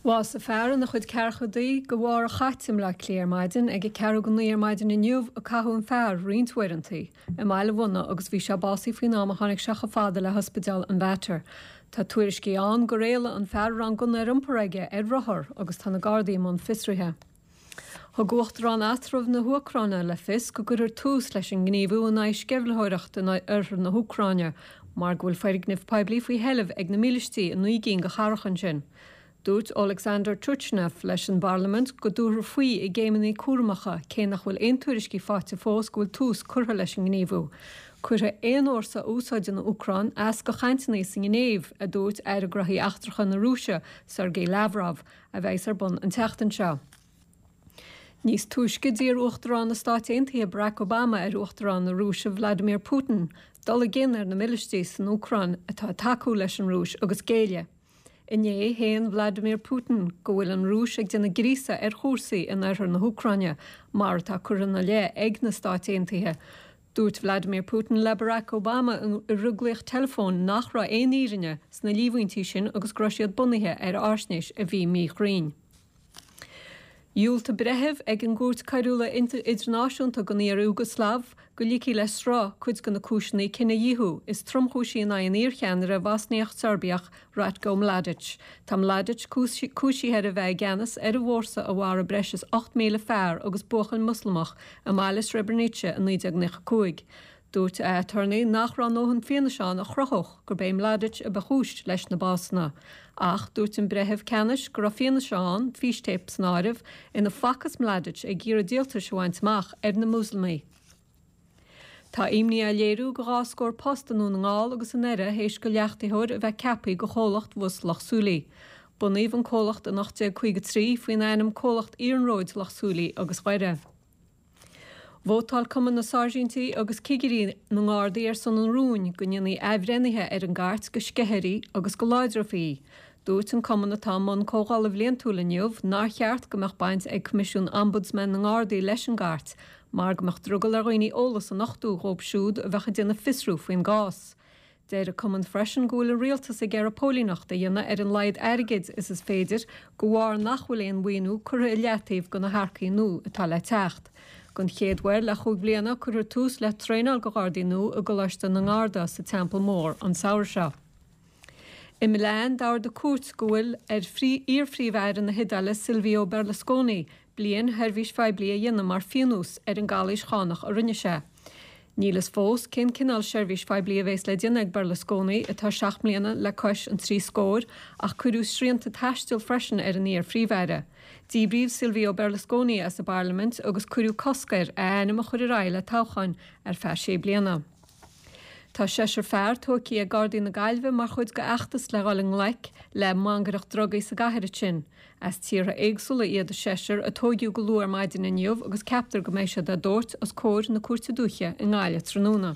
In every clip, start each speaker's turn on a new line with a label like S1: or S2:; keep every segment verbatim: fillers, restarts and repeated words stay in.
S1: Bhásaigh fear ina chuid ceathrachaidí de bharr a chait i mBleá Cliath ar maidin ag a ceathrú go naoi ar maidin inniu a caitheadh an fear roinnt uaireanta i mBaile Bhunaidh agus bhí sé básaithe faoin am a tháinig sé chomh fada le hospidéal an Mhater. Tá tuairiscí ann gur éalaigh an fear a raibh an gunna ar iompar aige ar rothar agus tá na Gardaí i mbun fiosraithe. Thug Uachtarán eatramhach na hÚcráine le fios go gcuirfear tús leis an ngníomhú in aghaidh sceimhlitheoireacht in oirthear na hÚcráine mar go bhfuil foirgnimh poiblí faoi sheilbh ag na mílístí i naoi gcinn de chathracha ansin. Dúirt Alexander Turchinov leis an bParlaimint go dtabharfar faoi i gcéimeanna cúramacha cé nach bhfuil aon tuairiscí faighte fós go bhfuil tús curtha leis an ngníomhú. Cuirfidh aon fhórsa a úsáideann an Úcráin as do chainteanna sa nGinéiv, a dúirt Aire Gnóthaí Eachtracha na Rúise, Sergei Lavrov, a bheas ar bun an tseachtain seo. Níos túisce d'iarr Uachtarán na Stát Aontaithe Barack Obama ar Uachtarán na Rúise Vladimir Putin dul i gcion ar na mílístí san Úcráin atá ag tacú leis an Rúis agus géilleadh. Inné shéan Vladimir Putin go bhfuil an Rúis ag déanamh gríosadh ar chúrsaí in oirthear na hÚcráine mar atá curtha ina leith ag na Stáit Aontaithe. Dúirt Vladimir Putin le Barack Obama i rithghlaoch teileafóin nach raibh aon fhírinne sna líomhaintí sin agus go raibh siad bunaithe ar fhaisnéis a bhí míchruinn. Dhiúltaigh breitheamh ag an gCúirt Choiriúil Idirnáisiúnta don iar-Iúgaslaiv go ligfí le sruth cuid de na cúiseanna cinedhíothú is tromchúisí in aghaidh an iarcheannaire Bhosniach-Seirbiach Ratko Mladic. Tá Mladic cúisithe ar a bheith i gceannas ar an bhfórsa a mharaigh breis is ocht míle fear agus buachaill Moslamach i mbaile Srebrenica i naoi déag nócha cúig. Dúirt a aturnae nach raibh a ndóthain fianaise ann a chruthódh gurb é Mladic a ba chúis leis na básanna. Ach dúirt an breitheamh ceannais go raibh fianaise ann, fístéip san áireamh, ina bhfacthas Mladic ag iarraidh díoltais a bhaint amach ar na Muslamaigh. Tá imní á léiriú do dhá scór post i nDún na nGall agus i nDoire théis do leachtaitheoir a bheith ceaptha do chomhlacht Bhus Loch Súilí. Bunaíodh an comhlacht in ocht déag caoga trí faoin ainm Comhlacht Iarnróid Loch Súilí agus Dhoire. Vótáil Cumann na Sáirsintí agus Cigirí na nGardaí ar son an rúin go ndéanfaí athbhreithnithe ar an gcairt go sceithfí agus go láidreofaí í. Dúirt an cumann atá i mbun comhdhála bhliantúil inniu nár cheart go mbeadh baint ag Coimisiún Ombudsman na nGardaí leis an gcairt mar go mbeadh drogall ar dhaoine eolas a nochtadh dhóibh siúd a bheadh ag déanamh fiosrú faoin gcás. Deir an cumann freisin go bhfuil an rialtas ag iarraidh póilíneacht a dhéanamh ar an laghad airgid is is féidir de bharr nach bhfuil aon mhaoiniú curtha i leataobh do na hearcaigh nua atá le teacht. Don chéad uair le chúig bliana cuirfear tús le traenáil do Ghardaí nua i gColáiste na nGarda sa Teampall Mór an samhradh seo. I Milan d'ordaigh cúirt go bhfuil ar iar-phríomh-aire na hIodáile Silvio Berlusconi bliain sheirbhís phoiblí a dhéanamh mar phionós ar an gcalaois chánach a rinne sé. Níl fhios fós cén cineál seirbhís phoiblí a bheas le déanamh ag Berlusconi atá seacht mbliana le cois an trí scóir ach cuireadh srianta taistil freisin ar an iar-phríomh-aire. Díbríodh Silvio Berlusconi as an bParlaimint agus cuireadh cosc air a ainm a chur ar aghaidh le toghcháin ar feadh sé bliana. Tá seisear fear tógtha ag Gardaí na Gaillimhe mar chuid d'fheachtas le dhul i ngleic le mangaireacht drugaí sa gcathair sin. As tíortha éagsúla iad a seisear a tógadh go luath ar maidin inniu agus ceaptar go mbeidh siad á dtabhairt os comhair na Cúirte Dúiche i nGaillimh tráthnóna.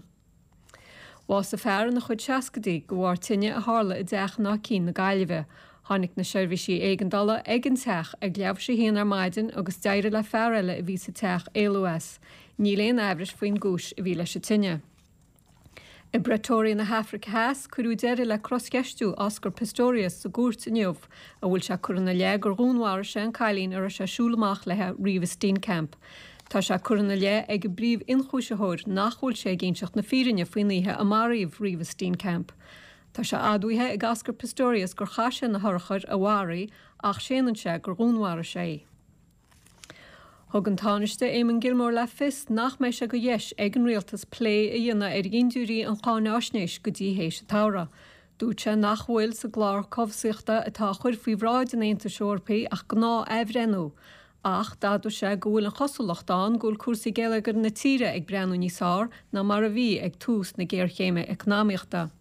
S1: Bhásaigh fear ina chuid seascaidí de bharr tine a tharla i dteach in Áth Cinn na Gaillimhe. Tháinig na seirbhísí éigeandála ag an teach ag leathuair tar éis a haon ar maidin agus d'éirigh le fear eile a bhí sa teach éalú as. Níl aon amhras faoin gcúis a bhí leis an tine. I bPretoria na hAfraice Theas cuireadh deireadh le croscheistiú Oscar Pistorius sa gcúirt inniu, a bhfuil sé curtha ina leith gur dhúnmharaigh sé an cailín a raibh sé ag siúl amach léi Reeva Steenkamp. Tá sé curtha ina leith ag an bpríomh-ionchúisitheoir nach bhfuil sé ag inseacht na fírinne faoin oíche a maraíodh Reeva Steenkamp. Tá sé admhaithe ag Oscar Pistorius gur chaith sé na hurchair a mharaigh ach séanann sé gur dhúnmharaigh sé í. Thug an Tánaiste Eamon Gilmore le fios nach mbeidh sé de dheis ag an rialtas plé a dhéanamh ar dhintiúirí an cháinaisnéis go dtí théis an tsamhraidh. Dúirt sé nach bhfuil sa gclár cobhsaíochta atá á chur faoi bhráid an Aontais Eorpaigh ach gnáth-athbhreithniú, ach d'admhaigh sé go bhfuil an chosúlacht ann go bhfuil cúrsaí geilleagair na tíre ag breathnú níos fearr ná mar a bhí ag tús na géarchéime eacnamaíochta.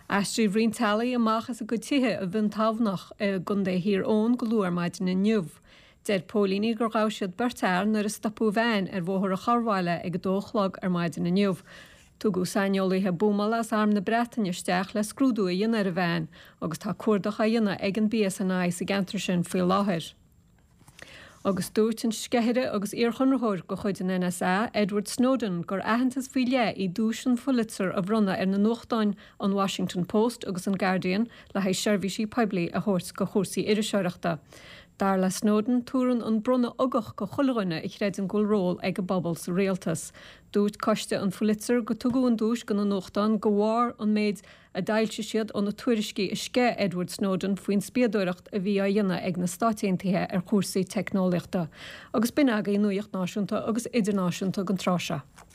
S1: Aistríodh roinnt teaghlaigh amach as a gcuid tithe i mBinn Tamhnach i gContae Thír Eoghain go luath ar maidin inniu. Deir póilíní gur ghabh siad beirt fhear nuair a stopadh veain ar Bhóthar an Chorrbhaile ag a dó a chlog ar maidin inniu. Tugadh saineolaithe buamála as Arm na Breataine isteach le scrúdú a dhéanamh ar an veain agus tá cuardach á dhéanamh ag an BSNI sa gceantar sin faoi láthair. Agus dúirt an sceithire agus iarchonraitheoir de chuid an NSA, Edward Snowden, gur aitheantas faoi leith í duais an Pulitzer a bhronnadh ar na nuachtáin an Washington Post agus an Guardian le haghaidh seirbhísí poiblí a thabhairt do chúrsaí iriseoireachta. Dar le Snowden tugann an bronnadh ugach do chuile dhuine a chreideann go bhfuil ról ag an bpobal sa rialtas. Dúirt coiste an Pulitzer go tugadh an duais do na nuachtáin de bharr an méid a d'fhoilsigh siad ó na tuairiscí a sceith Edward Snowden faoin spiadóireacht a bhí á dhéanamh ag na Stáit Aontaithe ar chúrsaí teicneolaíochta. Agus b'in agaibh nuacht náisiúnta agus idirnáisiúnta don tráth seo.